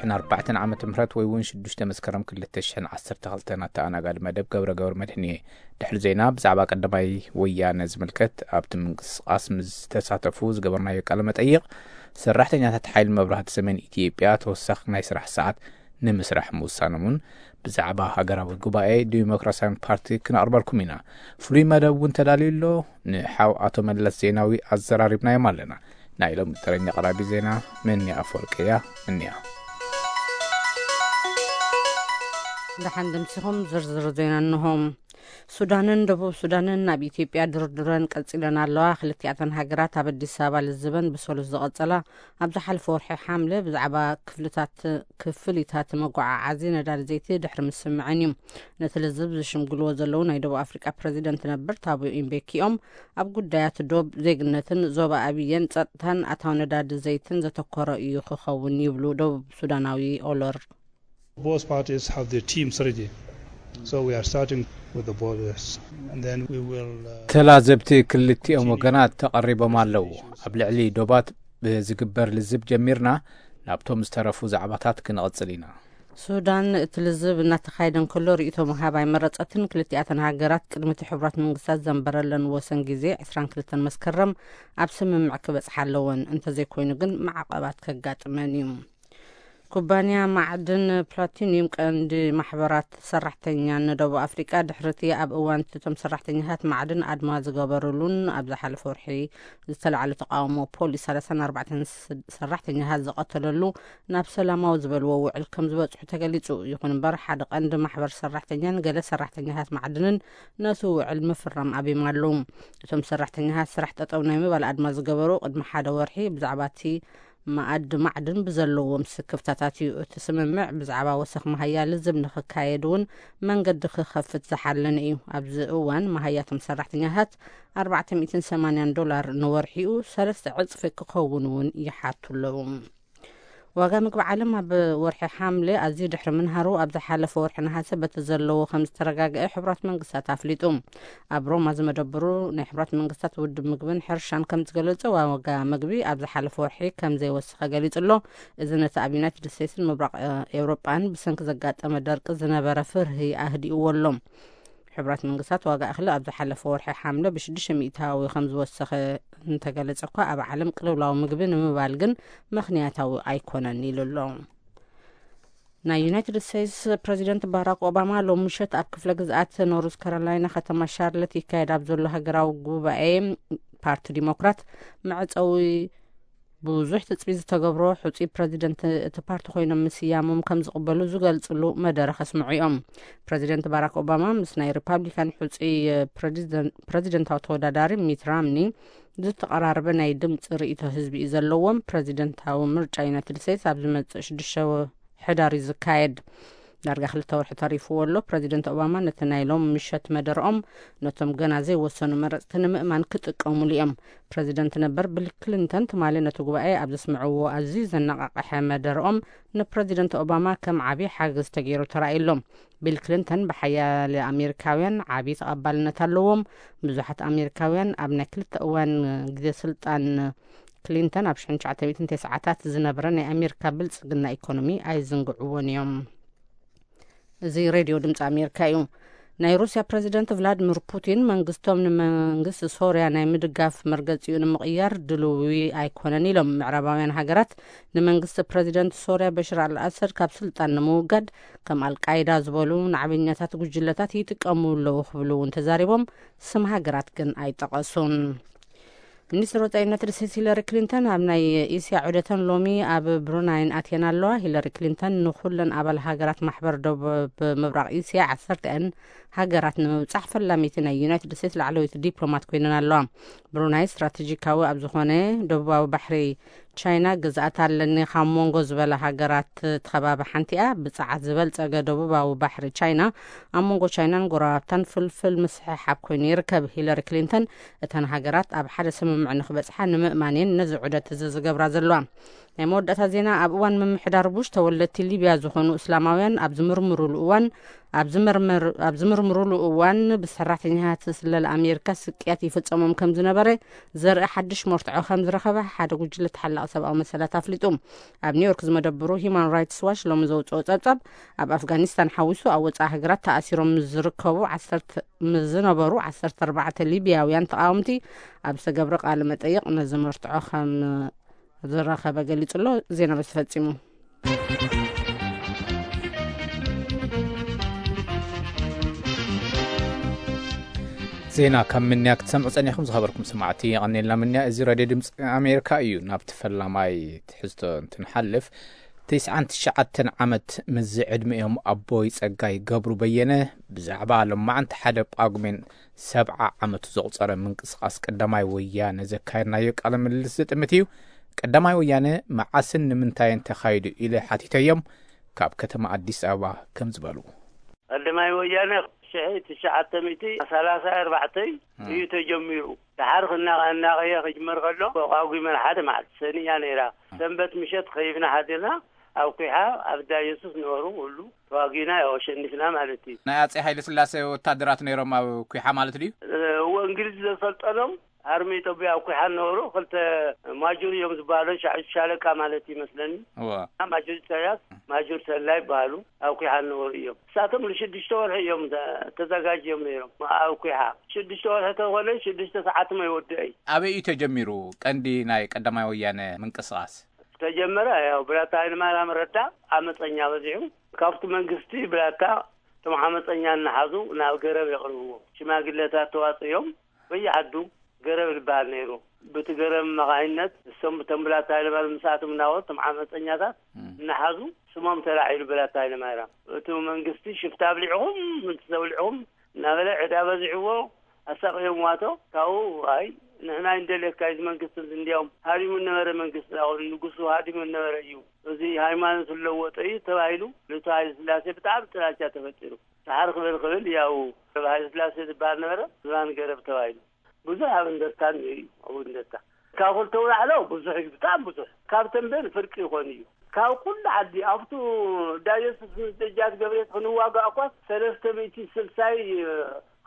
ን ኣርባዕተን ዓመተ ምህረት ወይ እውን ሽዱሽተ መስከረም ክልተ ሽሕን ዓሰርተ ክልተን ኣተኣናጋዲ መደብ ገብረ ገብረ መድህን እየ። ድሕሪ ዜና ብዛዕባ ቀዳማይ ወያነ ዝምልከት ኣብቲ ምንቅስቃስ ምስ ዝተሳተፉ ዝገበርናዮ ቃለ መጠይቕ፣ ሰራሕተኛታት ሓይሊ መብራህቲ ሰሜን ኢትዮጵያ ተወሳኺ ናይ ስራሕ ሰዓት ንምስራሕ ምውሳኖም እውን ብዛዕባ ሃገራዊ ጉባኤ ዲሞክራሲያዊ ፓርቲ ክነቕርበልኩም ኢና። ፍሉይ መደብ እውን ተዳልዩ ኣሎ። ንሓው ኣቶ መለስ ዜናዊ ኣዘራሪብናዮም ኣለና። ናይ ሎሚ ተረኛ ኣቕራቢ ዜና መኒ ኣፈወርቂ እያ። እንያ። ደሓን ድምሲኹም ዝርዝር ዜና እንሆ። ሱዳንን ደቡብ ሱዳንን ናብ ኢትዮጵያ ድርድረን ቀጺለን ኣለዋ። ክልቲኣተን ሃገራት ኣብ ኣዲስ ኣበባ ልዝበን ብሰሉስ ዝቐጸላ ኣብ ዝሓለፈ ወርሒ ሓምለ ብዛዕባ ክፍልታት፣ ክፍሊታት መጓዓዓዚ ነዳዲ ዘይቲ ድሕሪ ምስምዐን እዩ። ነቲ ልዝብ ዝሽምግልዎ ዘለዉ ናይ ደቡብ ኣፍሪቃ ፕረዚደንት ነበር ታቦ ኢምቤኪኦም ኣብ ጉዳያት ዶብ፣ ዜግነትን ዞባ ኣብየን ጸጥታን ኣታዊ ነዳዲ ዘይትን ዘተኮረ እዩ ክኸውን ይብሉ ደቡብ ሱዳናዊ ኦሎር። Both parties have their teams ready. So we are starting with the borders. And then we will, uh, ተላዘብቲ ክልቲኦም ወገናት ተቐሪቦም ኣለዉ። ኣብ ልዕሊ ዶባት ብዝግበር ልዝብ ጀሚርና፣ ናብቶም ዝተረፉ ዛዕባታት ክንቕጽል ኢና። ሱዳን እቲ ልዝብ እናተኻየደ እንከሎ ርእይቶ ምሃብ ኣይመረጸትን። ክልቲኣተን ሃገራት ቅድሚ እቲ ሕቡራት መንግስታት ዘንበረለን ወሰን ግዜ ዕስራን ክልተን መስከረም ኣብ ስምምዕ ክበጽሓ ኣለወን። እንተዘይኮይኑ ግን ማዕቐባት ከጋጥመን እዩ። ኩባንያ ማዕድን ፕላቲኒየም ቀንዲ ማሕበራት ሰራሕተኛ ንደቡብ ኣፍሪቃ ድሕሪ እቲ ኣብ እዋን እቲ እቶም ሰራሕተኛታት ማዕድን ኣድማ ዝገበሩሉን ኣብ ዝሓለፈ ወርሒ ዝተላዕለ ተቃውሞ ፖሊስ ሰላሳን ኣርባዕተን ስ-፣ ሰራሕተኛታት ዝቐተለሉ ናብ ሰላማዊ ዝበልዎ ውዕል ከም ዝበጽሑ ተገሊጹ። ይኹን እምበር ሓደ ቀንዲ ማሕበር ሰራሕተኛን ገለ ሰራሕተኛታት ማዕድንን ነቲ ውዕል ምፍራም ኣብዮም ኣለዉ። እቶም ሰራሕተኛታት ስራሕ ጠጠው ናይ ምባል ኣድማ ዝገበሩ ቅድሚ ሓደ ወርሒ ብዛዕባ እቲ መኣዲ ማዕድን ብዘለዎም ስክፍታታት እዩ። እቲ ስምምዕ ብዛዕባ ወሰኽ መሃያ ልዝብ ንኽካየድ እውን መንገዲ ክኸፍት ዝሓለነ እዩ። ኣብዚ እዋን መሃያቶም ሰራሕተኛታት ኣርባዕተ ሚእትን ሰማንያን ዶላር ንወርሒኡ ሰለስተ ዕጽፊ ክኸውን እውን ይሓቱ ኣለዉ። ዋጋ ምግቢ ዓለም ኣብ ወርሒ ሓምለ ኣዝዩ ድሕሪ ምንሃሩ ኣብ ዝሓለፈ ወርሒ ነሃሰ በቲ ዘለዎ ከም ዝተረጋግአ ሕቡራት መንግስታት ኣፍሊጡ። ኣብ ሮማ ዝመደብሩ ናይ ሕቡራት መንግስታት ውድብ ምግብን ሕርሻን ከም ዝገለጸ ዋጋ ምግቢ ኣብ ዝሓለፈ ወርሒ ከም ዘይወሰኸ ገሊጹ ኣሎ። እዚ ነቲ ኣብ ዩናይትድ ስቴትስን ምብራቕ ኤውሮጳን ብሰንኪ ዘጋጠመ ደርቂ ዝነበረ ፍርሂ ኣህዲእዎ ኣሎ። ሕቡራት መንግስታት ዋጋ እኽሊ ኣብ ዝሓለፈ ወርሒ ሓምለ ብሽዱሽተ ሚእታዊ ከም ዝወሰኸ እንተገለጸ እኳ ኣብ ዓለም ቅልውላው ምግቢ ንምባል ግን ምኽንያታዊ ኣይኮነን ኢሉ ኣሎ። ናይ ዩናይትድ ስቴትስ ፕረዚደንት ባራክ ኦባማ ሎም ምሸት ኣብ ክፍለ ግዝኣት ኖርዝ ካሮላይና ከተማ ሻርለት ይካየድ ኣብ ዘሎ ሃገራዊ ጉባኤ ፓርቲ ዲሞክራት መዕጸዊ ብዙሕ ትጽቢት ዝተገብሮ ሕጹይ ፕረዚደንት እቲ ፓርቲ ኮይኖም ምስያሞም ከም ዝቕበሉ ዝገልጽሉ መደረ ከስምዑ እዮም። ፕረዚደንት ባራክ ኦባማ ምስ ናይ ሪፓብሊካን ሕጹይ ፕረዚደን-፣ ፕረዚደንታዊ ተወዳዳሪ ሚት ራምኒ ዝተቐራረበ ናይ ድምፂ ርእይቶ ህዝቢ እዩ ዘለዎም። ፕረዚደንታዊ ምርጫ ዩናይትድ ስቴትስ ኣብ ዝመጽእ ሽዱሽተ ሕዳር እዩ ዝካየድ። ዳርጋ ክልተ ወርሒ ተሪፍዎ ኣሎ። ፕረዚደንት ኦባማ ነቲ ናይ ሎም ምሸት መደርኦም ነቶም ገና ዘይወሰኑ መረፅቲ ንምእማን ክጥቀሙሉ እዮም። ፕረዚደንት ነበር ቢል ክሊንተን ትማሊ ነቲ ጉባኤ ኣብ ዘስምዕዎ ኣዝዩ ዘነቓቕሐ መደርኦም ንፕረዚደንት ኦባማ ከም ዓብዪ ሓገዝ ተገይሩ ተራእዩ ኣሎ። ቢል ክሊንተን ብሓያለ ኣሜሪካውያን ዓብዪ ተቐባልነት ኣለዎም። ብዙሓት ኣሜሪካውያን ኣብ ናይ ክልተ እዋን ግዜ ስልጣን ክሊንተን ኣብ ሽሕን ትሽዓተ ሚእትን ተስዓታት ዝነበረ ናይ ኣሜሪካ ብልጽግና ኢኮኖሚ ኣይዝንግዕዎን እዮም። እዚ ሬድዮ ድምፂ ኣሜሪካ እዩ። ናይ ሩስያ ፕረዚደንት ቭላድሚር ፑቲን መንግስቶም ንመንግስቲ ሶርያ ናይ ምድጋፍ መርገፂኡ ንምቕያር ድልዊ ኣይኮነን ኢሎም። ምዕራባውያን ሃገራት ንመንግስቲ ፕረዚደንት ሶርያ በሽር ኣልኣሰድ ካብ ስልጣን ንምውጋድ ከም ኣልቃይዳ ዝበሉ ናዕበኛታት ጉጅለታት ይጥቀሙ ኣለዉ ክብሉ እውን ተዛሪቦም፣ ስም ሃገራት ግን ኣይጠቐሱን። ሚኒስትር ወፃኢ ዩናይትድ ስቴትስ ሂለሪ ክሊንተን ኣብ ናይ እስያ ዑደተን ሎሚ ኣብ ብሩናይን ኣትየን ኣለዋ። ሂለሪ ክሊንተን ንኩለን ኣባል ሃገራት ማሕበር ደቡብ ምብራቕ እስያ ዓሰርተኣን ሃገራት ንምብጻሕ ፈላሚቲ ናይ ዩናይትድ ስቴትስ ላዕለወይቲ ዲፕሎማት ኮይነን ኣለዋ። ብሩናይ ስትራቴጂካዊ ኣብ ዝኾነ ደቡባዊ ባሕሪ ቻይና ግዝኣት ኣለኒ ካብ መንጎ ዝበላ ሃገራት እቲ ከባቢ ሓንቲ እያ። ብጸዓት ዝበልጸገ ደቡባዊ ባሕሪ ቻይና ኣብ መንጎ ቻይናን ጎረባብታን ፍልፍል ምስሕሓብ ኮይኑ ይርከብ። ሂለሪ ክሊንተን እተን ሃገራት ኣብ ሓደ ስምምዕ ንክበጽሓ ንምእማን እየን ነዚ ዑደት እዚ ዝገብራ ዘለዋ። ናይ መወዳእታ ዜና። ኣብ እዋን ምምሕዳር ቡሽ፣ ተወለድቲ ሊብያ ዝኾኑ እስላማውያን ኣብ ዝምርምሩሉ እዋን፣ ኣብ ዝምርምር-፣ ኣብ ዝምርምሩሉ እዋን፣ ብሰራሕተኛታት ስለላ ኣሜሪካ ስቅያት ይፍጸሞም ከም ዝነበረ ዘርኢ ሓድሽ መርትዖ ከም ዝረኸበ ሓደ ጉጅለ ተሓላቒ ሰብኣዊ መሰላት ኣፍሊጡ። ኣብ ኒውዮርክ ዝመደብሩ ሂማን ራይትስ ዋች ሎሚ ዘውፅኦ ጸብጻብ፣ ኣብ ኣፍጋኒስታን ሓዊሱ ኣብ ወፃኢ ሃገራት ተኣሲሮም ዝርከቡ ዓሰርተ፣ ዝነበሩ ዓሰርተ ኣርባዕተ ሊብያውያን ተቓወምቲ ኣብ ዝተገብረ ቃለ መጠይቕ ነዚ መርትዖ ከም ዝረኸበ ገሊጹ ኣሎ። ዜና በዚ ተፈጺሙ። ዜና ካብ ምንያ ክትሰምዑ ጸኒኹም ዝኸበርኩም ሰማዕቲ፣ የቐኔልና ምንያ። እዚ ራድዮ ድምፂ ኣሜሪካ እዩ። ናብቲ ፈላማይ ትሕዝቶ እንትንሓልፍ፣ ተስዓን ትሽዓተን ዓመት ምስ ዕድሚኦም ኣቦይ ጸጋይ ገብሩ በየነ ብዛዕባ ሎማዕንቲ ሓደ ጳጉሜን ሰብዓ ዓመቱ ዘቑጸረ ምንቅስቓስ ቀዳማይ ወያነ ዘካየድናዮ ቃለ ምልልስ ዝጥምት እዩ። ቀዳማይ ወያነ መዓስን ንምንታይን ተኻይዱ ኢለ ሓቲተዮም፣ ካብ ከተማ ኣዲስ ኣበባ ከም ዝበሉ። ቀዳማይ ወያነ ሽሕ ትሽዓተ ሚእቲ ሰላሳ ኣርባዕተ እዩ ተጀሚሩ። ደሓር ክናቐ-፣ እናቐየ ክጅመር ከሎ፣ ጳጉሜን ሓደ መዓልቲ ሰኒ እያ ነይራ። ሰንበት ምሸት ኸይፍና ሓዲርና፣ ኣብ ኩሓ ኣብ እንዳ የሱስ ነበሩ፣ ሁሉ ተዋጊና፣ ያው ኣሸኒፍና ማለት እዩ። ናይ ኣጼ ሃይለ ስላሴ ወታደራት ነይሮም ኣብ ኩሓ ማለት ድዩ? እወ፣ እንግሊዝ ዘሰልጠኖም ኣርሚ ኢትዮጵያ ኣብ ኩሓ ነበሩ። ክልተ ማጁር እዮም ዝበሃሉ፣ ሻ-፣ ሻለቃ ማለት ይመስለኒ። እወ። ማጁር ኢሳያስ፣ ማጁር ተላ ይበሃሉ፣ ኣብ ኩሓ ነበሩ እዮም። እሳቶም ንሽዱሽተ ወርሒ እዮም ተ-፣ ተዘጋጅዮም ነይሮም ኣብ ኩሓ። ሽዱሽተ ወርሒ ተኾነ፣ ሽዱሽተ ሰዓት መይወድእ እዩ። ኣበይ እዩ ተጀሚሩ ቀንዲ ናይ ቀዳማይ ወያነ ምንቅስቓስ? ተጀመረ፣ ያው ብላታ ሃይለማርያም ረዳ ዓመፀኛ በዚሑ። ካብቲ መንግስቲ ብላታ እቶም ዓመፀኛ እናሓዙ ናብ ገረብ የቕርብዎ። ሽማግለታት ተዋፅዮም በየዓዱ ገረብ ዝበሃል ነይሩ። ብቲ ገረብ መኻይነት እሶም ብቶም ብላታ ሃይለማርያም ምስኣቶም እናወሩ እቶም ዓመፀኛታት እም። እናሓዙ ስሞም ተላዒሉ ብላታ ሃይለማርያም። እቲ መንግስቲ ሽፍታ ኣብሊዕኹም፣ ምንትስ ኣብሊዕኹም እናበለ ዕዳ በዚሕዎ ኣሳቕዮምዋቶ። ካብኡ ኣይ ንሕና ኣይንደልየካ፣ እዚ መንግስቲ እዚ እንዲያውም ሃዲሙ ነበረ መንግስቲ፣ ንጉሱ ሃዲሙ ነበረ እዩ፣ እዚ ሃይማኖት ዝለወጠ እዩ ተባሂሉ። ልቱ ሃይለ ስላሴ ብጣዕሚ ጥላቻ ተፈጢሩ። ሰሓር ክብል ክብል ያው ሃይለ ስላሴ ዝበሃል ነበረ፣ ዝባን ገረብ ተባሂሉ። ብዙሕ ኣብ እንደርታ እኒኦ እዩ፣ ኣብ እንደርታ። ካብ ክልተ ውላዕሎ ብዙሕ እዩ፣ ብጣዕሚ ብዙሕ። ካብ ተንቤን ፍርቂ ይኾን እዩ። ካብ ኩሉ ዓዲ ኣብቱ ዳዮስስ ምስ ደጃት ገብርኤል ክንዋጋእ እኳ ሰለስተ ሚእቲ ስልሳይ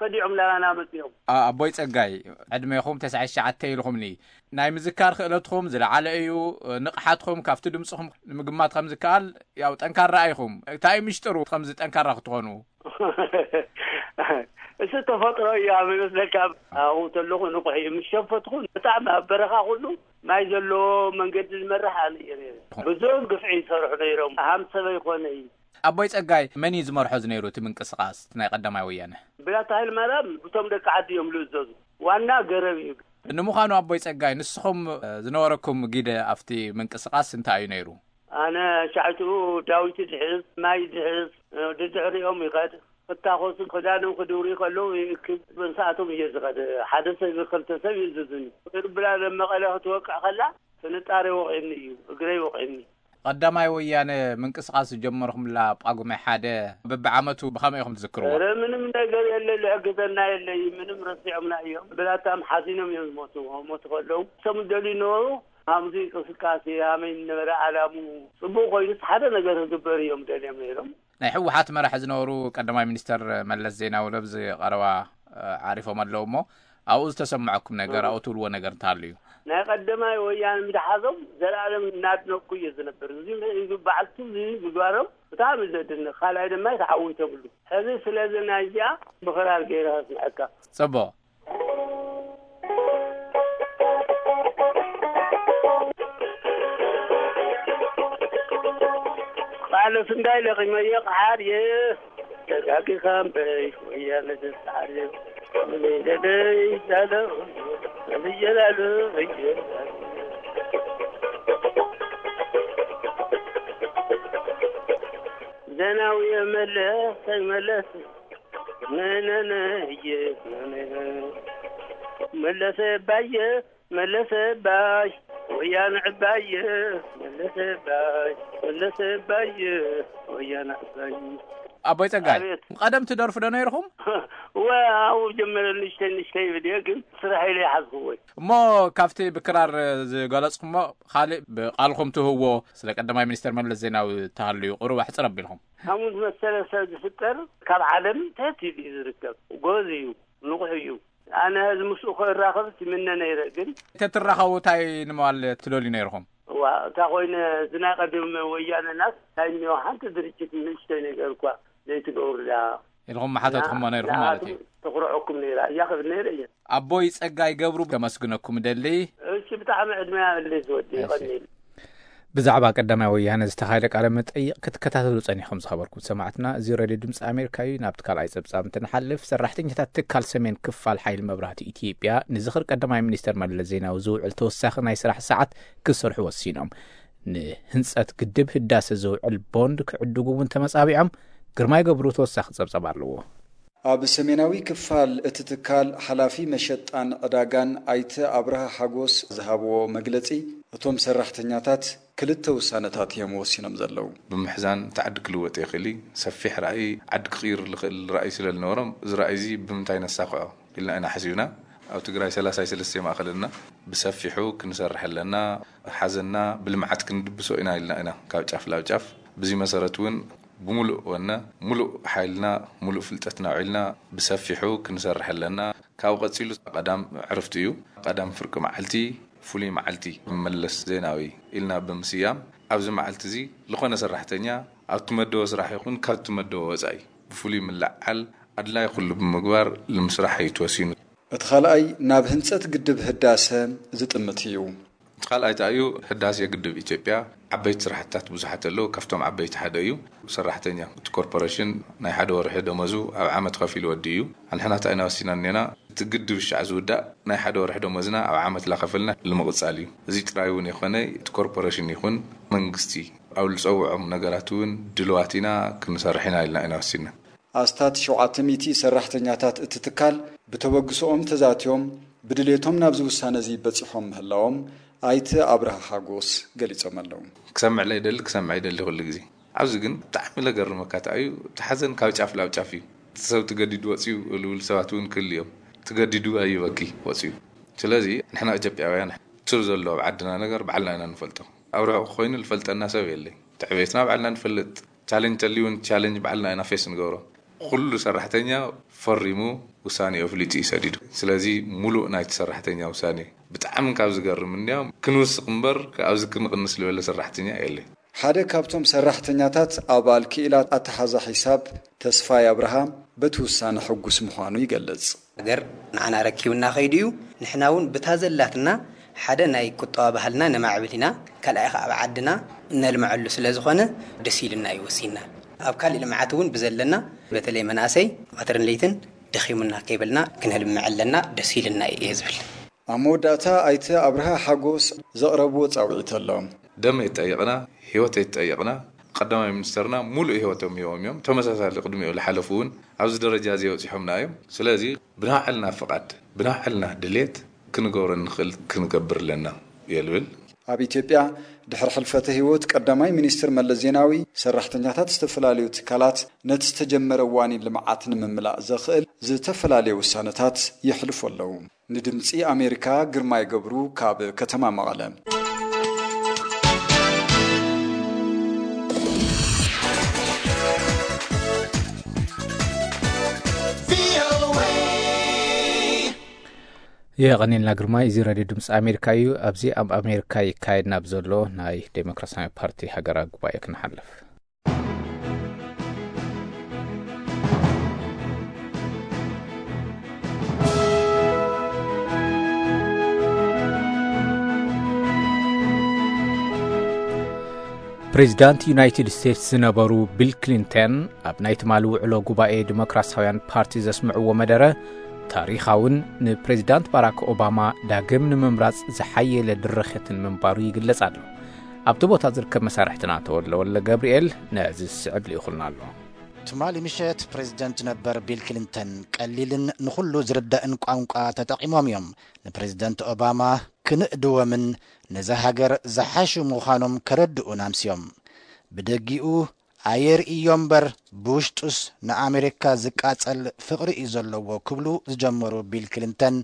ከዲዖም ላባና መፂኦም። ኣ-፣ ኣቦይ ጸጋይ፣ ዕድሜኹም ተስዓን ትሽዓተን ኢልኹምኒ። ናይ ምዝካር ክእለትኹም ዝለዓለ እዩ። ንቕሓትኹም ካብቲ ድምፅኹም ንምግማት ከም ዝከኣል፣ ያው ጠንካራ ኢኹም። እንታይ እዩ ምሽጥሩ ከምዚ ጠንካራ ክትኾኑ? እሱ ተፈጥሮ እዩ ኣብ ይመስለካ። ኣብኡ ተለኹ ንቑሕ እዩ። ምስ ሸፈትኹ ብጣዕሚ ኣብ በረኻ ኩሉ ማይ ዘለዎ መንገዲ ዝመርሕ ኣነ እየ ነይረ። ብዙሕ ግፍዒ ይሰርሑ ነይሮም። ሃም ሰበይ ኮነ እዩ። ኣቦይ ጸጋይ መን እዩ ዝመርሖ ዝነይሩ እቲ ምንቅስቓስ ናይ ቀዳማይ ወያነ? ብላታ ሃይለማርያም ብቶም ደቂ ዓዲ እዮም ዝእዘዙ። ዋና ገረብ እዩ። ንምዃኑ ኣቦይ ጸጋይ ንስኹም፣ እ፣ ዝነበረኩም ግደ ኣብቲ ምንቅስቓስ እንታይ እዩ ነይሩ? ኣነ ሻዕትኡ ዳዊት ድሕዝ፣ ማይ ድሕዝ፣ እ፣ ድድሕሪኦም ይኸድ። ክታኾሱ ክዳኖም ክድውሩ ከለዉ ይእክብ። መንሳቶም እየ ዝኸድ። ሓደ ሰብ ክልተ ሰብ ይእዝዝኒ። ብላ መቐለ ክትወቅዕ ከላ ፍንጣረ ወቒዕኒ እዩ፣ እግረይ ወቒዕኒ። ቀዳማይ ወያነ ምንቅስቓስ ዝጀመርኩምላ ጳጉሜ ሓደ በብዓመቱ ብኸመይ ኢኹም ትዝክርዎ? ኧረ ምንም ነገር የለ፣ ዝሕግዘና የለ፣ ምንም ረሲዖምና እዮም። ብላታም ሓዚኖም እዮም ዝሞቱ። ሞቱ ከለዉ እሶም ዝደልዩ ነበሩ። ሃምዚ እንቅስቃሴ ሃመይ ነበረ ዓላሙ። ጽቡቕ ኮይኑስ ሓደ ነገር ክግበር እዮም ደልዮም ነይሮም። ናይ ህወሓት መራሒ ዝነበሩ ቀዳማይ ሚኒስተር መለስ ዜናዊ ኣብዚ ቀረባ፣ እ፣ ዓሪፎም ኣለዉ እሞ፣ ኣብኡ ዝተሰምዐኩም ነገር፣ ኣብኡ ትብልዎ ነገር እንተሃልዩ? ናይ ቀዳማይ ወያነ ምድሓዞም ዘላለም እናድነቅኩ እየ ዝነብር። እዚ በዓልቲ እዚ ምግባሮም ብጣዕሚ ዘድንቅ። ካልኣይ ድማ ተዓዊቶምሉ። ሕዚ ስለዚ ናይዚኣ ብኽራር ገይረ ከስምዐካ። ጽቡቕ። ቃለ ስንዳይ ለቒመዮ ቃሓር እየ። ተጋጊኻ እምበይ ወያነ ተስዓር እየ። ንበይደደይ ዳለ ንብየላሉ እየ። ዘናዊ መለስ ተይመለስ ነነነ እየ ነነነ። መለሰ ባየ መለሰ ባይ ወያነ ዕባየ። ለሰባይ ለሰባይ ወያና ሰባይ። ኣቦይ ጸጋይ፣ ኣቤት። ቀደም ትደርፉ ዶ ነይርኹም? ወ ኣብኡ ጀመረ ንሽተይ ንሽተይ ይብል እየ፣ ግን ስራሕ ኢለ ይሓዝክዎ። እሞ ካብቲ ብክራር ዝገለጽኩሞ ካልእ ብቃልኩም ትህዎ ስለ ቀዳማይ ሚኒስተር መለስ ዜናዊ ተሃልዩ ቁሩብ ኣሕጽር ኣቢልኩም። ከምኡ ዝመሰለ ሰብ ዝፍጠር ካብ ዓለም ትሕት ኢሉ እዩ ዝርከብ። ጎዝ እዩ፣ ንቑሕ እዩ። ኣነ እዚ ምስኡ ክራኸብስ ይምነ ነይረ፣ ግን ተትራኸቡ እንታይ ንምባል ትደልዩ ነይርኹም? እዋ፣ እታ ኮይነ እዚ ናይ ቀደም ወያነናስ እንታይ እኒኦ፣ ሓንቲ ድርጅት ንእሽተይ ነገር እኳ ዘይትገብሩላ ኢልኹም መሓተትኩሞ ነይርኹም ማለት እዩ። ንኣቶም ተኹርዐኩም ነይራ እያ ክብል ነይረ እየ። ኣቦይ ጸጋይ ገብሩ ከመስግነኩም እደሊ። እሺ፣ ብጣዕሚ ዕድመ ያበለይ ዝወዲ እሺ። ይቐኒል። ብዛዕባ ቀዳማይ ወያነ ዝተኻየደ ቃለ መጠይቕ ክትከታተሉ ጸኒኹም ዝኸበርኩም ሰማዕትና፣ እዚ ሬድዮ ድምፂ ኣሜሪካ እዩ። ናብቲ ካልኣይ ጸብጻብ እንትንሓልፍ፣ ሰራሕተኛታት ትካል ሰሜን ክፋል ሓይሊ መብራህቲ ኢትዮጵያ ንዝኽሪ ቀዳማይ ሚኒስተር መለስ ዜናዊ ዝውዕል ተወሳኺ ናይ ስራሕ ሰዓት ክሰርሑ ወሲኖም። ንህንጸት ግድብ ህዳሰ ዝውዕል ቦንድ ክዕድጉ እውን ተመጻቢዖም። ግርማይ ገብሩ ተወሳኺ ጸብጻብ ኣለዎ። ኣብ ሰሜናዊ ክፋል እቲ ትካል ሓላፊ መሸጣን ዕዳጋን ኣይተ ኣብርሃ ሓጎስ ዝሃብዎ መግለጺ፣ እቶም ሰራሕተኛታት ክልተ ውሳነታት እዮም ወሲኖም ዘለዉ። ብምሕዛን እቲ ዓዲ ክልወጥ ይኽእል እዩ። ሰፊሕ ራእይ ዓዲ ክቕይር ዝኽእል ራእይ ስለ ዝነበሮም፣ እዚ ራእይ እዚ ብምንታይ ነሳኽዖ ኢልና ኢና ሓሲብና። ኣብ ትግራይ ሰላሳ ሰለስተ ማእኸል ኣለና። ብሰፊሑ ክንሰርሕ ኣለና። ሓዘና ብልምዓት ክንድብሶ ኢና ኢልና ኢና ካብ ጫፍ ላብ ጫፍ። ብዚ መሰረት እውን ብምሉእ ወነ፣ ምሉእ ሓይልና፣ ምሉእ ፍልጠትና ኣውዒልና ብሰፊሑ ክንሰርሕ ኣለና። ካብኡ ቀጺሉ ቀዳም ዕርፍቲ እዩ። ቀዳም ፍርቂ መዓልቲ፣ ፍሉይ መዓልቲ መለስ ዜናዊ ኢልና ብምስያም፣ ኣብዚ መዓልቲ እዚ ዝኾነ ሰራሕተኛ ኣብቲ መደቦ ስራሕ ይኹን ካብቲ መደቦ ወጻኢ ብፍሉይ ምልዓል ኣድላይ ኩሉ ብምግባር ልምስራሕ እዩ ተወሲኑ። እቲ ካልኣይ ናብ ህንጸት ግድብ ህዳሰ ዝጥምት እዩ። እቲ ካልኣይ እንታይ እዩ? ህዳሴ ግድብ ኢትዮጵያ ዓበይቲ ስራሕትታት ብዙሓት ኣለዉ። ካብቶም ዓበይቲ ሓደ እዩ። ሰራሕተኛ እቲ ኮርፖሬሽን ናይ ሓደ ወርሒ ደመዙ ኣብ ዓመት ከፊሉ ወዲ እዩ። ኣንሕና እንታይ ኢና ወሲና እኔና? እቲ ግድብ ሻዕ ዝውዳእ ናይ ሓደ ወርሒ ደመዝና ኣብ ዓመት ላኸፈልና ንምቕጻል እዩ። እዚ ጥራይ እውን የኾነ፣ እቲ ኮርፖሬሽን ይኹን መንግስቲ ኣብ ዝጸውዖም ነገራት እውን ድልዋት ኢና ክንሰርሕ ኢና ኢልና ኢና ወሲና። ኣስታት ሸውዓተ ሚእቲ ሰራሕተኛታት እቲ ትካል ብተበግሶኦም ተዛትዮም ብድሌቶም ናብዚ ውሳነ እዚ በጺሖም ምህላዎም ኣይተ ኣብርሃ ሓጎስ ገሊጾም ኣለዉ። ክሰምዕ ለይደሊ ክሰምዕ ይደሊ ኩሉ ግዜ። ኣብዚ ግን ብጣዕሚ ለገርመካ እንታይ እዩ፣ እቲ ሓዘን ካብ ጫፍ ላብ ጫፍ እዩ። እቲ ሰብ ትገዲዱ ወፅዩ ልብል ሰባት እውን ክህሉ እዮም። ትገዲዱ ኣይበኪ ወፅዩ። ስለዚ ንሕና ኢትዮጵያውያን ስር ዘሎ ኣብ ዓድና ነገር ባዕልና ኢና ንፈልጦ። ኣብ ርሑቕ ኮይኑ ዝፈልጠና ሰብ የለይ። ትዕቤትና ባዕልና ንፈልጥ። ቻሌንጅ ተልዩ እውን ቻሌንጅ ባዕልና ኢና ፌስ ንገብሮ። ኩሉ ሰራሕተኛ ፈሪሙ ውሳኔ ኣፍሊጡ እዩ ሰዲዱ። ስለዚ ሙሉእ ናይቲ ሰራሕተኛ ውሳኔ ብጣዕሚ ካብ ዝገርም እንዲያውም ክንውስኽ እምበር ኣብዚ ክንቕንስ ዝበለ ሰራሕተኛ የለ። ሓደ ካብቶም ሰራሕተኛታት ኣባል ክኢላ ኣተሓዛ ሒሳብ ተስፋይ ኣብርሃ በቲ ውሳነ ሕጉስ ምዃኑ ይገልጽ። ሃገር ንዓና ረኪቡና ከይዱ እዩ። ንሕና እውን ብታ ዘላትና ሓደ ናይ ቁጠባ ባህልና ነማዕብል ኢና፣ ካልኣይ ከዓ ኣብ ዓድና እነልምዐሉ ስለ ዝኾነ ደስ ኢልና እዩ ወሲና። ኣብ ካሊእ ልምዓት እውን ብዘለና በተለይ መናእሰይ ቀትርን ለይትን ደኺሙና ከይበልና ክንልምዕ ኣለና፣ ደስ ኢልና እየ ዝብል። ኣብ መወዳእታ ኣይተ ኣብርሃ ሓጎስ ዘቕረብዎ ጻውዒት ኣሎ። ደመይ ጠይቕና፣ ህይወተይ ጠይቕና፣ ቀዳማይ ሚኒስተርና ሙሉእ ህይወቶም ሂቦም እዮም። ተመሳሳሊ ቅድሚኡ ዝሓለፉ እውን ኣብዚ ደረጃ እዚ ኣብፂሖምና እዮም። ስለዚ ብናይ ባዕልና ፍቓድ፣ ብናይ ባዕልና ድሌት ክንገብሮ እንኽእል ክንገብር ኣለና እየ ዝብል። ኣብ ኢትዮጵያ ድሕሪ ሕልፈተ ህይወት ቀዳማይ ሚኒስትር መለስ ዜናዊ ሰራሕተኛታት ዝተፈላለዩ ትካላት ነቲ ዝተጀመረ ዋኒን ልምዓት ንምምላእ ዘኽእል ዝተፈላለዩ ውሳነታት የሕልፉ ኣለዉ። ንድምፂ ኣሜሪካ ግርማይ ገብሩ ካብ ከተማ መቐለ። የቐኒልና ግርማይ። እዚ ሬድዮ ድምፂ ኣሜሪካ እዩ። ኣብዚ ኣብ ኣሜሪካ ይካየድ ናብ ዘሎ ናይ ዴሞክራሲያዊ ፓርቲ ሃገራዊ ጉባኤ ክንሓልፍ። ፕሬዚዳንት ዩናይትድ ስቴትስ ዝነበሩ ቢል ክሊንተን ኣብ ናይ ትማሊ ውዕሎ ጉባኤ ዲሞክራሲያውያን ፓርቲ ዘስምዕዎ መደረ፣ ታሪኻውን ንፕሬዚዳንት ባራክ ኦባማ ዳግም ንምምራጽ ዝሓየለ ድርኺትን ምንባሩ ይግለጽ ኣሎ። ኣብቲ ቦታ ዝርከብ መሳርሕትና ተወልደ ወልደ ገብርኤል ነዚ ዝስዕብ ልኢኹልና ኣሎ። ትማሊ ምሸት ፕሬዚደንት ነበር ቢል ክሊንተን ቀሊልን ንኹሉ ዝርዳእን ቋንቋ ተጠቒሞም እዮም ንፕሬዚደንት ኦባማ ክንእድዎምን ነዛ ሃገር ዝሓሹ ምዃኖም ከረድኡን ኣምስዮም። ብደጊኡ ኣየርእዮ እምበር ብውሽጡስ ንኣሜሪካ ዝቃጸል ፍቕሪ እዩ ዘለዎ ክብሉ ዝጀመሩ ቢል ክሊንተን፣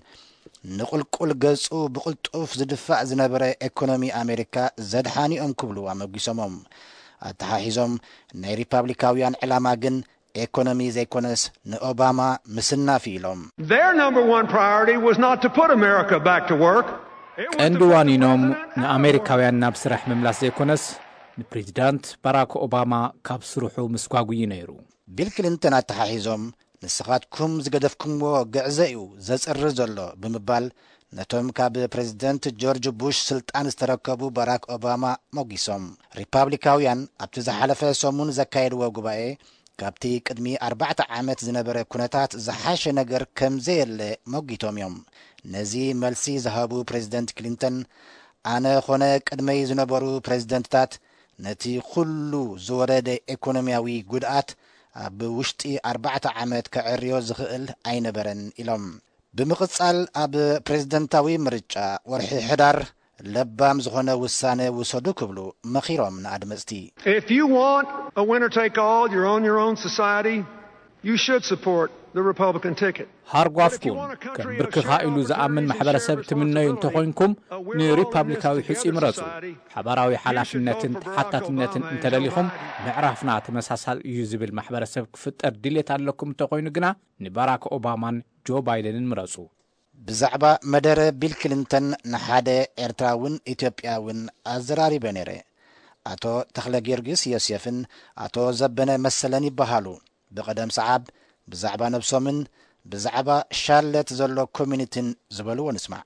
ንቑልቁል ገጹ ብቕልጡፍ ዝድፋእ ዝነበረ ኤኮኖሚ ኣሜሪካ ዘድሓኑ እዮም ክብሉ ኣመጒሶሞም። ኣተሓሒዞም፣ ናይ ሪፓብሊካውያን ዕላማ ግን ኤኮኖሚ ዘይኮነስ ንኦባማ ምስናፍ ኢሎም። Their number one priority was not to put America back to work. It was to ቀንዲ put the ዋኒኖም president out of ንኣሜሪካውያን ናብ ስራሕ ምምላስ ዘይኮነስ ንፕሬዚዳንት ባራክ ኦባማ ካብ ስርሑ ምስጓጉ እዩ ነይሩ። ቢል ክሊንተን ኣተሓሒዞም፣ ንስኻትኩም ዝገደፍኩምዎ ግዕዘ እዩ ዘጽሪ ዘሎ ብምባል ነቶም ካብ ፕሬዚደንት ጆርጅ ቡሽ ስልጣን ዝተረከቡ ባራክ ኦባማ ሞጊሶም። ሪፓብሊካውያን ኣብቲ ዝሓለፈ ሰሙን ዘካየድዎ ጉባኤ ካብቲ ቅድሚ ኣርባዕተ ዓመት ዝነበረ ኩነታት ዝሓሸ ነገር ከም ዘየለ ሞጊቶም እዮም። ነዚ መልሲ ዝሃቡ ፕሬዚደንት ክሊንተን፣ ኣነ ኾነ ቅድመይ ዝነበሩ ፕሬዚደንትታት ነቲ ኩሉ ዝወረደ ኤኮኖሚያዊ ጉድኣት ኣብ ውሽጢ ኣርባዕተ ዓመት ከዕርዮ ዝኽእል ኣይነበረን ኢሎም። ብምቕጻል ኣብ ፕሬዚደንታዊ ምርጫ ወርሒ ሕዳር ለባም ዝኾነ ውሳነ ውሰዱ ክብሉ መኺሮም ንኣድመጽቲ። If you want a winner take all, you're on your own society, you should support the Republican ticket. ሃርጓፍኩም ከም ብርክኻ ኢሉ ዝኣምን ማሕበረሰብ ትምነዩ እንተኾይንኩም ንሪፓብሊካዊ ሕፁይ ምረፁ። ሓባራዊ ሓላፍነትን ተሓታትነትን እንተደሊኹም ምዕራፍና ተመሳሳል እዩ ዝብል ማሕበረሰብ ክፍጠር ድሌት ኣለኩም እንተኾይኑ ግና ንባራክ ኦባማን ጆ ባይደንን ምረፁ። ብዛዕባ መደረ ቢል ክሊንተን ንሓደ ኤርትራውን ኢትዮጵያውን ኣዘራሪበ ነይረ። ኣቶ ተኽለ ጊዮርጊስ ዮሴፍን ኣቶ ዘበነ መሰለን ይበሃሉ። ብቐደም ሰዓብ ብዛዕባ ነብሶምን ብዛዕባ ሻርለት ዘሎ ኮሚኒቲን ዝበልዎ ንስማዕ።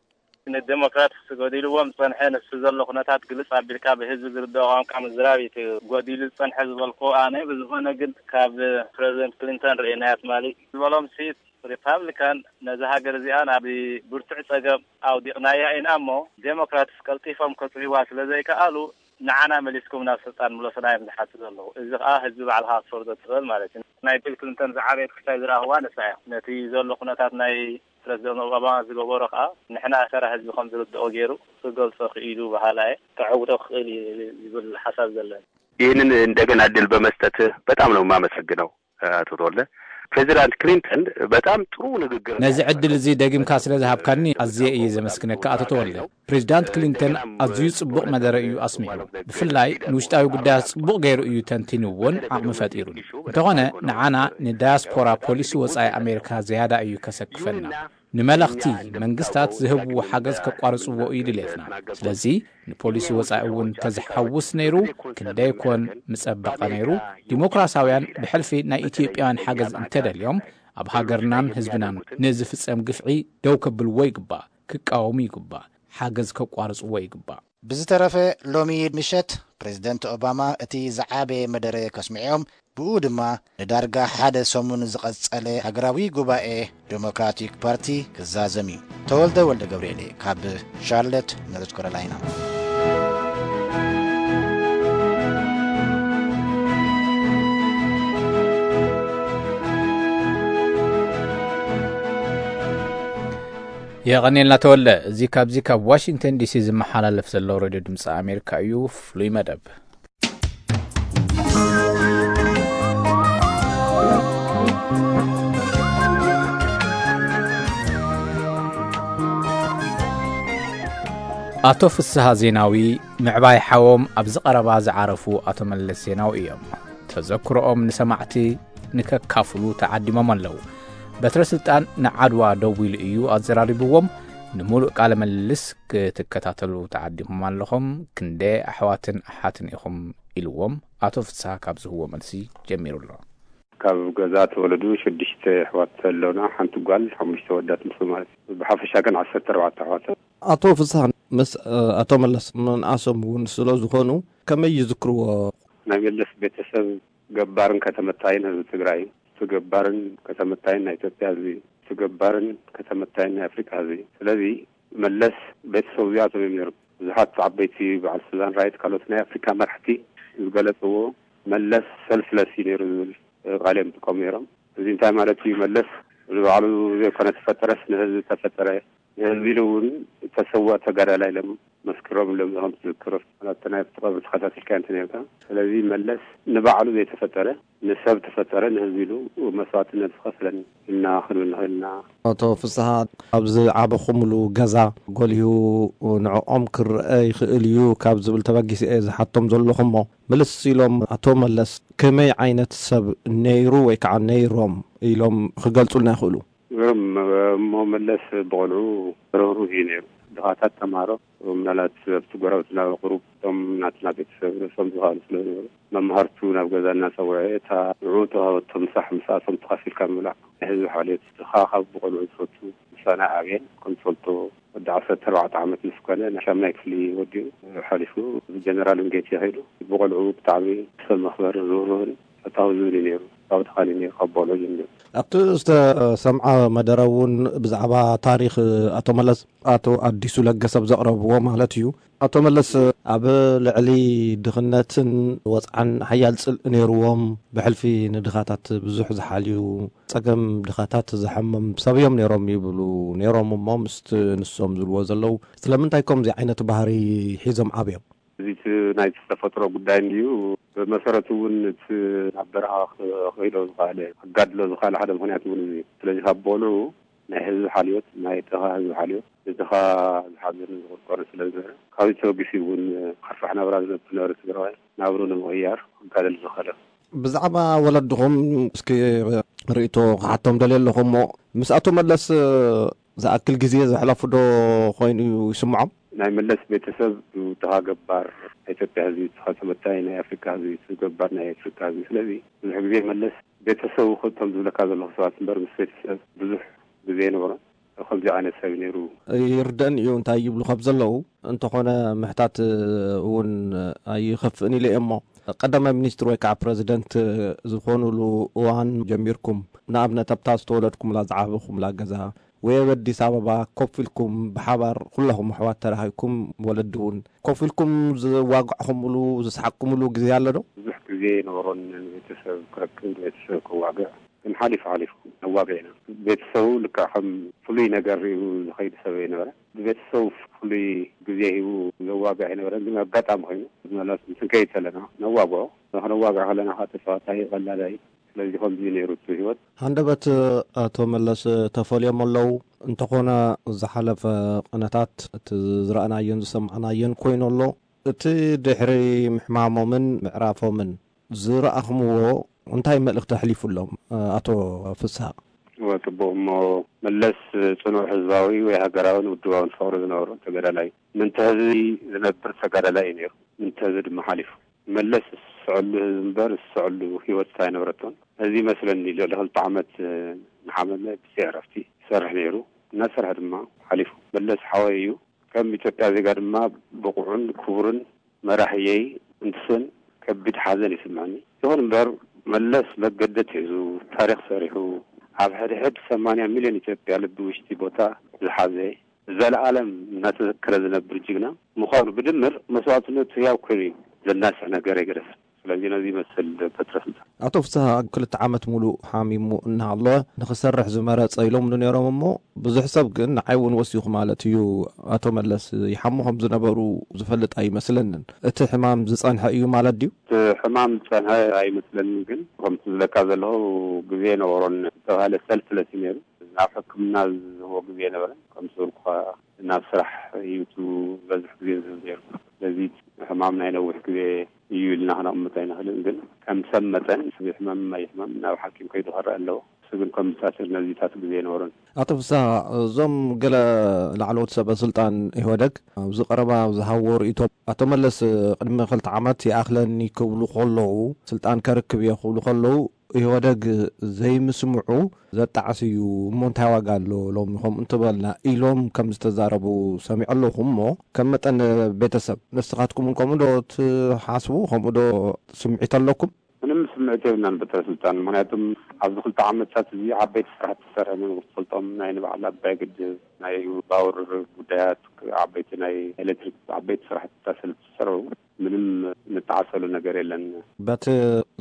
ንዴሞክራት ጎዲልዎም ዝጸንሐ ንሱ ዘሎ ኩነታት ግልጽ ኣቢልካ ብህዝቢ ዝርድኦ ቋንቋ ምዝራብ እዩ እቲ ጎዲሉ ዝጸንሐ ዝበልኩ ኣነ። ብዝኾነ ግን ካብ ፕረዚደንት ክሊንተን ርእየናያ ትማሊ ዝበሎም ሲት ሪፓብሊካን ነዛ ሃገር እዚኣ ናብ ብርቱዕ ጸገም ኣውዲቕናያ ኢና እሞ ዴሞክራትስ ቀልጢፎም ከጽህዋ ስለ ዘይከኣሉ ንዓና መሊስኩም ናብ ስልጣን ምለሱና እዮም ዝሓቱ ዘለዉ። እዚ ከኣ ህዝቢ ባዕልኻ ክትፈርዶ ትኽእል ማለት እዩ። ናይ ቢል ክሊንተን ዝዓበየት ክስታይ ዝረኣኽዋ ንሳ እያ። ነቲ ዘሎ ኩነታት ናይ ፕረዚደንት ኦባማ ዝገበሮ ከኣ ንሕና ተራ ህዝቢ ከም ዝርድኦ ገይሩ ክገልጾ ክኢሉ በሃላ እየ። ከዕውቶ ክኽእል እዩ ዝብል ሓሳብ ዘለኒ። ይህንን እንደገና እድል በመስጠት በጣም ነው የማመሰግነው አቶ ተወልደ። ፕሬዚዳንት ክሊንተን በጣም ጥሩ ንግግር ነዚ ዕድል እዚ ደጊምካ ስለ ዝሃብካኒ ኣዝየ እየ ዘመስግነካ ኣቶ ተወልደ። ፕሬዚዳንት ክሊንተን ኣዝዩ ጽቡቕ መደረ እዩ ኣስሚዑ። ብፍላይ ንውሽጣዊ ጉዳያት ጽቡቕ ገይሩ እዩ ተንቲንዎን ዓቕሚ ፈጢሩን። እንተኾነ ንዓና ንዳያስፖራ ፖሊሲ ወጻኢ ኣሜሪካ ዝያዳ እዩ ከሰክፈና። ንመለኽቲ መንግስታት ዝህብዎ ሓገዝ ከቋርጽዎ እዩ ድሌትና። ስለዚ ንፖሊሲ ወጻኢ እውን ተዝሓውስ ነይሩ ክንደይ ኮን ምጸበቐ ነይሩ። ዲሞክራሲያውያን ብሕልፊ ናይ ኢትዮጵያውያን ሓገዝ እንተደልዮም ኣብ ሃገርናን ህዝብናን ንዝፍጸም ግፍዒ ደው ከብልዎ ይግባእ፣ ክቃወሙ ይግባእ፣ ሓገዝ ከቋርጽዎ ይግባእ። ብዝተረፈ ሎሚ ምሸት ፕሬዚደንት ኦባማ እቲ ዝዓበየ መደረ ከስምዕዮም፣ ብኡ ድማ ንዳርጋ ሓደ ሰሙን ዝቐጸለ ሃገራዊ ጉባኤ ዴሞክራቲክ ፓርቲ ክዛዘም እዩ። ተወልደ ወልደ ገብርኤል ካብ ሻርለት ኖርዝ ካሮላይና። የቐኔልና ተወልደ። እዚ ካብዚ ካብ ዋሽንግተን ዲሲ ዝመሓላለፍ ዘሎ ሬድዮ ድምፂ ኣሜሪካ እዩ። ፍሉይ መደብ። ኣቶ ፍስሃ ዜናዊ ምዕባይ ሓዎም ኣብዚ ቀረባ ዝዓረፉ ኣቶ መለስ ዜናዊ እዮም። ተዘክሮኦም ንሰማዕቲ ንከካፍሉ ተዓዲሞም ኣለዉ። በትረ ስልጣን ንዓድዋ ደዊሉ እዩ ኣዘራሪብዎም። ንምሉእ ቃለ ምልልስ ክትከታተሉ ተዓዲኹም ኣለኹም። ክንደይ ኣሕዋትን ኣሓትን ኢኹም ኢልዎም ኣቶ ፍስሃ ካብ ዝህዎ መልሲ ጀሚሩ ኣሎ። ካብ ገዛ ተወለዱ ሽዱሽተ ኣሕዋት ኣለውና፣ ሓንቲ ጓል፣ ሓሙሽተ ወዳት ንሱ ማለት እዩ። ብሓፈሻ ግን ዓሰርተ ኣርባዕተ ኣሕዋት። ኣቶ ፍስሃ ምስ ኣቶ መለስ ምንኣሶም እውን ስለ ዝኾኑ ከመይ ይዝክርዎ? ናይ መለስ ቤተሰብ ገባርን ከተመታይን ህዝቢ ትግራይ፣ እቲ ገባርን ከተመታይን ናይ ኢትዮጵያ ህዝቢ፣ እቲ ገባርን ከተመታይን ናይ ኣፍሪካ ህዝቢ። ስለዚ መለስ ቤተሰቡ እዚኣቶም እዮም ነይሮም። ብዙሓት ዓበይቲ በዓል ሱዛን ራይት ካልኦት ናይ ኣፍሪካ መራሕቲ ዝገለፅዎ መለስ ሰልፍለስ እዩ ነይሩ ዝብል ቃል እዮም ዝጥቀሙ ነይሮም። እዚ እንታይ ማለት እዩ? መለስ ንባዕሉ ዘይኮነ ተፈጠረስ ንህዝቢ ተፈጠረ ንህዝቢ ኢሉ እውን ተሰውኦ ተጋዳላይ ኢሎም መስክሮም ኢሎም ከምቲ ዝዝክሮ ማለት ናይ ኣብቲ ቀብሪ ተኸታቲልካ እንተ ነርካ። ስለዚ መለስ ንባዕሉ ዘይተፈጠረ፣ ንሰብ ተፈጠረ፣ ንህዝቢ ኢሉ መስዋዕትነት ዝኸፈለን ኢልና ክንብል ንኽእል ኢና። ኣቶ ፍስሃ፣ ኣብዚ ዓበኹምሉ ገዛ ጎሊሁ ንዕኦም ክረአ ይኽእል እዩ ካብ ዝብል ተበጊሰ እየ ዝሓቶም ዘለኹ እሞ፣ ምልስ ኢሎም ኣቶ መለስ ከመይ ዓይነት ሰብ ነይሩ ወይ ከዓ ነይሮም ኢሎም ክገልጹልና ይኽእሉ? እም፣ እሞ መለስ ብቆልዑ ርህሩህ እዩ ነይሩ። ድኻታት ተምሃሮ ምናልባት ኣብቲ ጎረባብትና ቁሩብ እቶም ናትና ቤተሰብ ርእሶም ዝኸኣሉ ስለ ዝነበሩ መምሃርቱ ናብ ገዛ እናጸውዐ እታ ንዕኡ ተዋህበቶ ምሳሕ ምስኣቶም ተኻፊልካ ምብላዕ ናይ ህዝቢ ሓልዮት። ድኻ ካብ ብቆልዑ ዝፈቱ ምሳና ዓብየን ከም ትፈልጦ ወዲ ዓሰርተ ኣርባዕተ ዓመት ምስ ኮነ ናይ ሻምናይ ክፍሊ ወዲኡ ሓሊፉ ጀነራል ዊንጌት ከይዱ ብቆልዑ ብጣዕሚ ሰብ መኽበርን ርህሩህን ፈታዊ ዝብል እዩ ነይሩ። ካብ ተኻሊ ነይሩ ካብ በልዑ ጀሚሩ። ኣብቲ ዝተሰምዐ መደረ እውን ብዛዕባ ታሪኽ ኣቶ መለስ ኣቶ ኣዲሱ ለገሰ ብዘቕረብዎ ማለት እዩ። ኣቶ መለስ ኣብ ልዕሊ ድኽነትን ወፅዓን ሓያል ፅልኢ ነይርዎም፣ ብሕልፊ ንድኻታት ብዙሕ ዝሓልዩ፣ ፀገም ድኻታት ዝሓመም ሰብ እዮም ነይሮም ይብሉ ነይሮም እሞ ምስቲ ንሶም ዝብልዎ ዘለዉ ስለምንታይ ከምዚ ዓይነት ባህሪ ሒዞም ዓብዮም? እዚ እቲ ናይ ተፈጥሮ ጉዳይ እንድዩ። ብመሰረቱ እውን እቲ ናብ በረኻ ክኸይዶ ዝኸኣለ ክጋድሎ ዝኸኣለ ሓደ ምኽንያት እውን እዚ እዩ። ስለዚ ካብ በልዑ ናይ ህዝቢ ሓልዮት፣ ናይ ድኻ ህዝቢ ሓልዮት፣ ንድኻ ዝሓዝን ዝቕርቆርን ስለ ዝነበረ ካብዚ ተበጊሱ እውን ከርፋሕ ናብራ ዝነብር ነበረ ትግራዋይ ናብሩ ንምቕያር ክጋደል ዝኸኣለ። ብዛዕባ ወለድኹም እስኪ ርእይቶ ክሓቶም ደልየ ኣለኹ እሞ ምስ ኣቶ መለስ ዝኣክል ግዜ ዘሕለፉ ዶ ኮይኑ ይስምዖም? ናይ መለስ ቤተሰብ ድኻ ገባር ናይ ኢትዮጵያ ህዝቢ፣ ድኻ ተበታይ ናይ ኣፍሪካ ህዝቢ፣ ገባር ናይ ኣፍሪካ ህዝቢ። ስለዚ ብዙሕ ግዜ መለስ ቤተሰቡ ክእቶም ዝብለካ ዘለኹ ሰባት እምበር ምስ ቤተሰብ ብዙሕ ግዜ ይነበሮን ከምዚ ዓይነት ሰብ ነይሩ። ይርደን እዩ እንታይ ይብሉ ካብ ዘለዉ። እንተኾነ ምሕታት እውን ኣይኸፍእን ኢለ እየ እሞ ቀዳማይ ሚኒስትር ወይ ከዓ ፕረዚደንት ዝኾኑሉ እዋን ጀሚርኩም ንኣብነት ኣብታ ዝተወለድኩምላ ዝዓበኹምላ ገዛ ወይ ኣብ ኣዲስ ኣበባ ኮፍ ኢልኩም ብሓባር ኩላኹም ኣሕዋት ተራኺብኩም ወለዲ እውን ኮፍ ኢልኩም ዝዋጋዕኹምሉ ዝሰሓቅኩምሉ ግዜ ኣሎ ዶ? ብዙሕ ግዜ ይነበሮን ንቤተሰብ ክረክብ ንቤተሰብ ከዋግዕ ግን ሓሊፉ ሓሊፉ ነዋግዕ ኢና። ቤተሰቡ ልክዕ ከም ፍሉይ ነገር ሪኡ ዝኸይድ ሰብ ኣይነበረ። ብቤተሰቡ ፍሉይ ግዜ ሂቡ ዘዋግዕ ኣይነበረን። ግን ኣጋጣሚ ኮይኑ ምናልባት ምስ ንከይድ ከለና ነዋግዖ። ከነዋግዕ ከለና ከዓ ተስፋ እንታይ ቀላል ኣይ ስለዚ ከምዚ ነይሩ እቲ ህይወት። ሃንደበት ኣቶ መለስ ተፈልዮም ኣለዉ። እንተኾነ ዝሓለፈ ቅነታት እቲ ዝረኣናዮን ዝሰማዕናዮን ኮይኑ ኣሎ። እቲ ድሕሪ ምሕማሞምን ምዕራፎምን ዝረኣኽምዎ እንታይ መልእኽቲ ኣሕሊፉሎም ኣቶ ፍስሃ? እወ፣ ጽቡቕ። እሞ መለስ ጽኑዕ ህዝባዊ ወይ ሃገራውን ውድባውን ፍቕሪ ዝነበሮ ተጋዳላይ፣ ምንተ ህዝቢ ዝነብር ተጋዳላይ እዩ ነይሩ። ምንተ ህዝቢ ድማ ሓሊፉ። መለስ ዝስዕሉ ህዝቢ እምበር ዝስዕሉ ህይወት ኣይነበረቶን። እዚ ይመስለኒ ልዕሊ ክልተ ዓመት ንሓመመ ብዘይ ዕረፍቲ ይሰርሕ ነይሩ። እናሰርሐ ድማ ሓሊፉ። መለስ ሓወይ እዩ። ከም ኢትዮጵያ ዜጋ ድማ ብቑዕን ክቡርን መራሕየይ እንትስን ከቢድ ሓዘን ይስምዐኒ። ይኹን እምበር መለስ መገደት ሒዙ ታሪኽ ሰሪሑ ኣብ ሕድሕድ ሰማንያ ሚልዮን ኢትዮጵያ ልቢ ውሽጢ ቦታ ዝሓዘ ዘለኣለም እናተዘከረ ዝነብር ጅግና ምዃኑ ብድምር መስዋዕትነቱ ህያው ኮይኑ እዩ ዘናስዕ ነገር ኣይገደፈን። ስለዚ ነዚ ይመስል ዶክተር ተስፋ። ኣቶ ፍስሃ ክልተ ዓመት ሙሉእ ሓሚሙ እናሃለወ ንኽሰርሕ ዝመረጸ ኢሎምሉ ነይሮም እሞ ብዙሕ ሰብ ግን ንዓይ እውን ወሲኹ ማለት እዩ ኣቶ መለስ ይሓሙ ከም ዝነበሩ ዝፈልጥ ኣይመስለንን። እቲ ሕማም ዝጸንሐ እዩ ማለት ድዩ? እቲ ሕማም ዝጸንሐ ኣይመስለንን ግን ከምቲ ዝብለካ ዘለኹ ግዜ ነበሮን ዝተባህለ ሰልፍለስ እዩ ነይሩ። ናብ ሕክምና ዝህቦ ግዜ ነበረን። ከም ዝበልኩኻ ናብ ስራሕ እዩ እቲ ዝበዝሕ ግዜ ዝህብ ነይሩ። ስለዚ ሕማም ናይ ነዊሕ ግዜ እዩ ኢልና ክነቕምጥ ኣይንኽእልን። ግን ከም ሰብ መጠን ሰብ ይሕመም ኣይሕመም ናብ ሓኪም ከይዱ ክረአ ኣለዎ። እሱ ግን ከም ዝታሰር ነዚታት ግዜ ኣይነበሮን። ኣቶ ፍስሃ፣ እዞም ገለ ላዕለዎት ሰበ ስልጣን ኢህወደግ ኣብዚ ቀረባ ዝሃብዎ ርእይቶ ኣቶ መለስ ቅድሚ ክልተ ዓመት ይኣኽለኒ ክብሉ ከለዉ ስልጣን ከርክብ እየ ክብሉ ከለዉ ኢህወደግ ዘይምስምዑ ዘጣዕስ እዩ እሞ እንታይ ዋጋ ኣሎ ሎሚ ከምኡ እንትበልና ኢሎም ከም ዝተዛረቡ ሰሚዐ ኣለኹ። እሞ ከም መጠን ቤተሰብ ንስኻትኩም እውን ከምኡ ዶ ትሓስቡ? ከምኡ ዶ ስምዒት ኣለኩም? ምንም ስምዒት የብልናን በትረ ስልጣን። ምክንያቱም ኣብዚ ክልተ ዓመታት እዚ ዓበይቲ ስራሕቲ ዝሰርሐ መምህር ትፈልጦም ናይ ንባዕል ኣባይ ግድብ ናይ ባውር ጉዳያት ዓበይቲ ናይ ኤሌክትሪክ ዓበይቲ ስራሕትታት ስለ ዝተሰርሑ ምንም ንጠዓሰሉ ነገር የለን። በቲ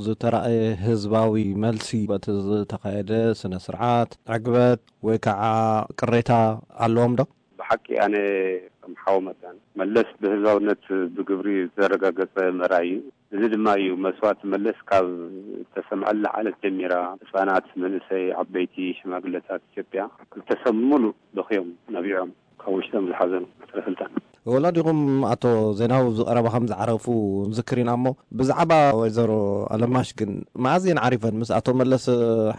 ዝተራእየ ህዝባዊ መልሲ በቲ ዝተኻየደ ስነ ስርዓት ዕግበት ወይ ከዓ ቅሬታ ኣለዎም ዶ? ብሓቂ ኣነ ከም ሓው መጠን መለስ ብህዝባውነት ብግብሪ ዝተረጋገጸ መራሒ እዩ። እዚ ድማ እዩ መስዋእቲ መለስ ካብ እተሰምዐላ ዕለት ጀሚራ ህጻናት፣ መንእሰይ፣ ዓበይቲ፣ ሽማግለታት ኢትዮጵያ ክልተ ሰብ ሙሉእ በኽዮም ነቢዖም ካብ ውሽጦም ዝሓዘኑ። ስለ ስልጣን ወላዲኹም ኣቶ ዜናዊ ኣብዚ ቀረባ ከም ዝዓረፉ ንዝክር ኢና እሞ ብዛዕባ ወይዘሮ ኣለማሽ ግን መኣዝየን ዓሪፈን ምስ ኣቶ መለስ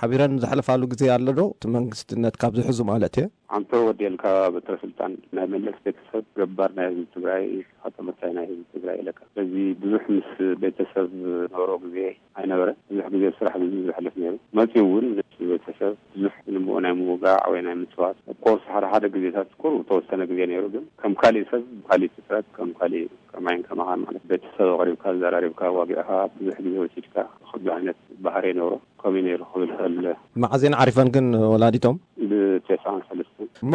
ሓቢረን ዘሕልፋሉ ግዜ ኣሎ ዶ? እቲ መንግስትነት ካብ ዝሕዙ ማለት እየ። ኣንተ ወዲኤልካ በትረ ስልጣን ናይ መለስ ቤተሰብ ገባር ናይ ህዝቢ ትግራይ፣ ኣቶ መታይ ናይ ህዝቢ ትግራይ ኢለካ። ስለዚ ብዙሕ ምስ ቤተሰብ ነበሮ ግዜ ኣይነበረ። ብዙሕ ግዜ ስራሕ ብዙ ዝሕልፍ ነይሩ። መፂኡ እውን ምስ ቤተሰብ ብዙሕ ንምኡ ናይ ምውጋዕ ወይ ናይ ምፅዋት ኮርስ ሓደ ሓደ ግዜታት ቁሩብ ተወሰነ ግዜ ነይሩ። ግን ከም ካሊእ ሰብ ካሊእ ፍጥረት ከም ካሊእ ከማይን ከማኻን ማለት ቤተሰብ ኣቕሪብካ ዘራሪብካ ዋጊዕካ ብዙሕ ግዜ ወሲድካ ክዱ ዓይነት ባህሪ ነይሩ። ከምኡ ነይሩ ክብል ይኽእል። መዓዜን ዓሪፈን ግን ወላዲቶም? ብተስዓን ሰለስተን። እሞ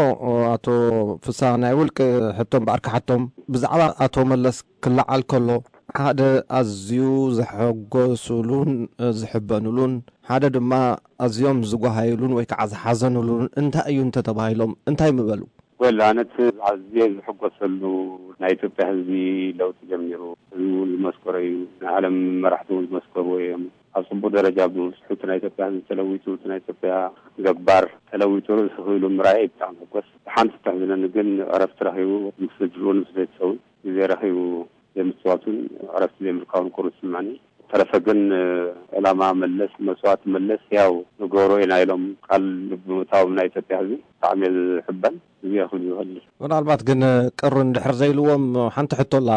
ኣቶ ፍስሃ ናይ ውልቂ ሕቶም ባዕርካ ሓቶም ብዛዕባ ኣቶ መለስ ክለዓል ከሎ ሓደ ኣዝዩ ዘሐጎሱሉን ዝሕበኑሉን ሓደ ድማ ኣዝዮም ዝጓሃዩሉን ወይ ከዓ ዝሓዘኑሉን እንታይ እዩ እንተተባሂሎም እንታይ ምበሉ? ወል ኣነት ኣዝየ ዝሕጎሰሉ ናይ ኢትዮጵያ ህዝቢ ለውጢ ጀሚሩ ህዝቡ እውን ዝመስከሮ እዩ። ናይ ዓለም መራሕቲ እውን ዝመስከርዎ እዮም። ኣብ ጽቡቅ ደረጃ ብስሑት ናይ ኢትዮጵያ ህዝቢ ተለዊጡ እቲ ናይ ኢትዮጵያ ገባር ተለዊጡ ርእሱ ክኢሉ ምርኣይ ብጣዕሚ ሕጎስ። ሓንቲ ተሕዝነኒ ግን ዕረፍቲ ረኺቡ ምስ ስድርኡን ምስ ቤተሰቡን ግዜ ረኺቡ ዘይምፅዋቱን ዕረፍቲ ዘይምርካቡን ቁሩብ ይስምዐኒ። ተረፈ ግን ዕላማ መለስ መስዋእቲ መለስ ያው ንገብሮ ኢና ኢሎም ቃል ብምእታዎም ናይ ኢትዮጵያ ህዝቢ ብጣዕሚ እየ ዝሕበን። እዚ እየ ክብል ዝኽእል። ምናልባት ግን ቅር እንድሕር ዘይልዎም ሓንቲ ሕቶ ኣላ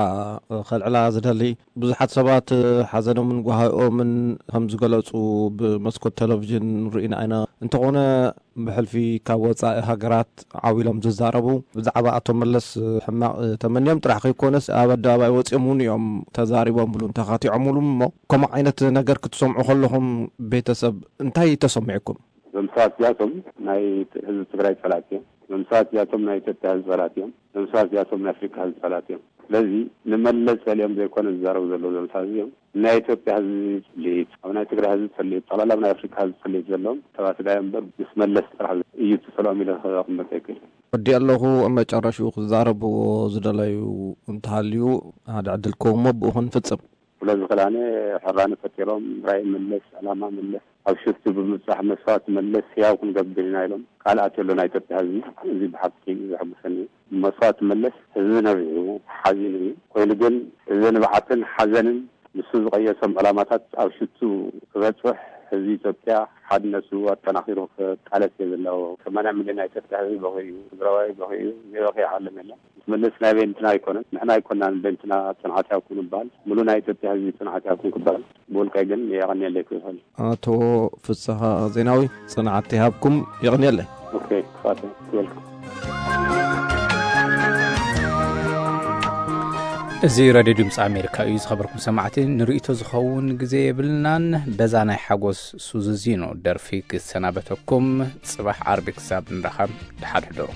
ከልዕላ ዝደሊ። ብዙሓት ሰባት ሓዘኖምን ጓሃኦምን ከም ዝገለጹ ብመስኮት ቴሌቪዥን ርኢና ኢና። እንተኾነ ብሕልፊ ካብ ወጻኢ ሃገራት ዓው ኢሎም ዝዛረቡ ብዛዕባ ኣቶ መለስ ሕማቕ ተመንዮም ጥራሕ ከይኮነስ ኣብ ኣደባባይ ወጺኦም እውን እዮም ተዛሪቦምሉን ተኻቲዖምሉን። እሞ ከምኡ ዓይነት ነገር ክትሰምዑ ከለኹም ቤተሰብ እንታይ ተሰሚዕኩም? እዞም ሰባት እዚኣቶም ናይ ህዝቢ ትግራይ ጸላእቲ እዮም። እዞም ሰባት እዚኣቶም ናይ ኢትዮጵያ ህዝቢ ጸላእቲ እዮም። እዞም ሰባት እዚኣቶም ናይ ኣፍሪካ ህዝቢ ጸላእቲ እዮም። ስለዚ ንመለስ ጸሊኦም ዘይኮነ ዝዛረቡ ዘለዉ እዞም ሰባት እዚኦም ናይ ኢትዮጵያ ህዝቢ ጽልኢት፣ ኣብ ናይ ትግራይ ህዝቢ ጽልኢት፣ ጠቕላላ ኣብ ናይ ኣፍሪካ ህዝቢ ጽልኢት ዘለዎም ሰባት ዳዮም እምበር ምስ መለስ ጥራሕ እዩ እቲ ጸልኦም ኢለ ክቕመጥ ኣይክእልን። ወዲ ኣለኹ ኣብ መጨረሽኡ ክዛረብዎ ዝደለዩ እንተሃልዩ ሓደ ዕድል ክህቦ ብኡ ክንፍጽም። ስለዚ ክላነ ሕራነ ፈጢሮም ራእይ መለስ፣ ዕላማ መለስ ኣብ ሽፍቲ ብምብጻሕ መስዋእቲ መለስ ህያው ክንገብር ኢና ኢሎም ቃል ኣትዮ ኣሎ ናይ ኢትዮጵያ ህዝቢ። እዚ ብሓቂ ዘሐጉሰኒ እዩ። መስዋእቲ መለስ ህዝቢ ነቢዑ ሓዚኑ እዩ። ኮይኑ ግን እዚ ንብዓትን ሓዘንን ንሱ ዝቐየሶም ዕላማታት ኣብ ሽቱ ክበጽሕ ህዝቢ ኢትዮጵያ ሓድነቱ ኣጠናኺሩ ክቃለስ እየ ዘለዎ። ሰማንያ ሚልዮን ናይ ኢትዮጵያ ህዝቢ በኺ እዩ፣ ትግራዋይ በኺ እዩ፣ ዘይበኺ ዓለም የለን። መለስ ናይ በይንትና ኣይኮነን፣ ንሕና ኣይኮናን በይንትና ጽንዓት ያኩን ይበሃል። ሙሉ ናይ ኢትዮጵያ ህዝቢ ጽንዓት ያኩን ክበሃል ብውልቀይ ግን የቐንየለይ ክብል። ኣቶ ፍስሃ ዜናዊ ጽንዓት ይሃብኩም፣ የቐንየለይ። ኦኬ፣ ክፋት ዌልካም። እዚ ሬድዮ ድምፂ ኣሜሪካ እዩ። ዝኸበርኩም ሰማዕቲ፣ ንርእይቶ ዝኸውን ግዜ የብልናን። በዛ ናይ ሓጎስ ሱዙዚኖ ደርፊ ክሰናበተኩም። ጽባሕ ዓርቢ ክሳብ ንራኸብ፣ ደሓን ሕደሩ።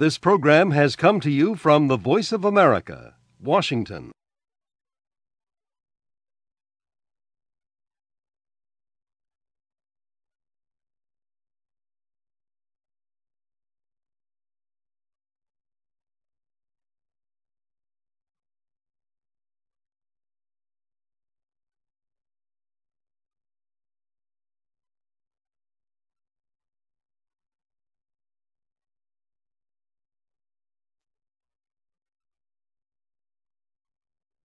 This program has come to you from the Voice of America, Washington.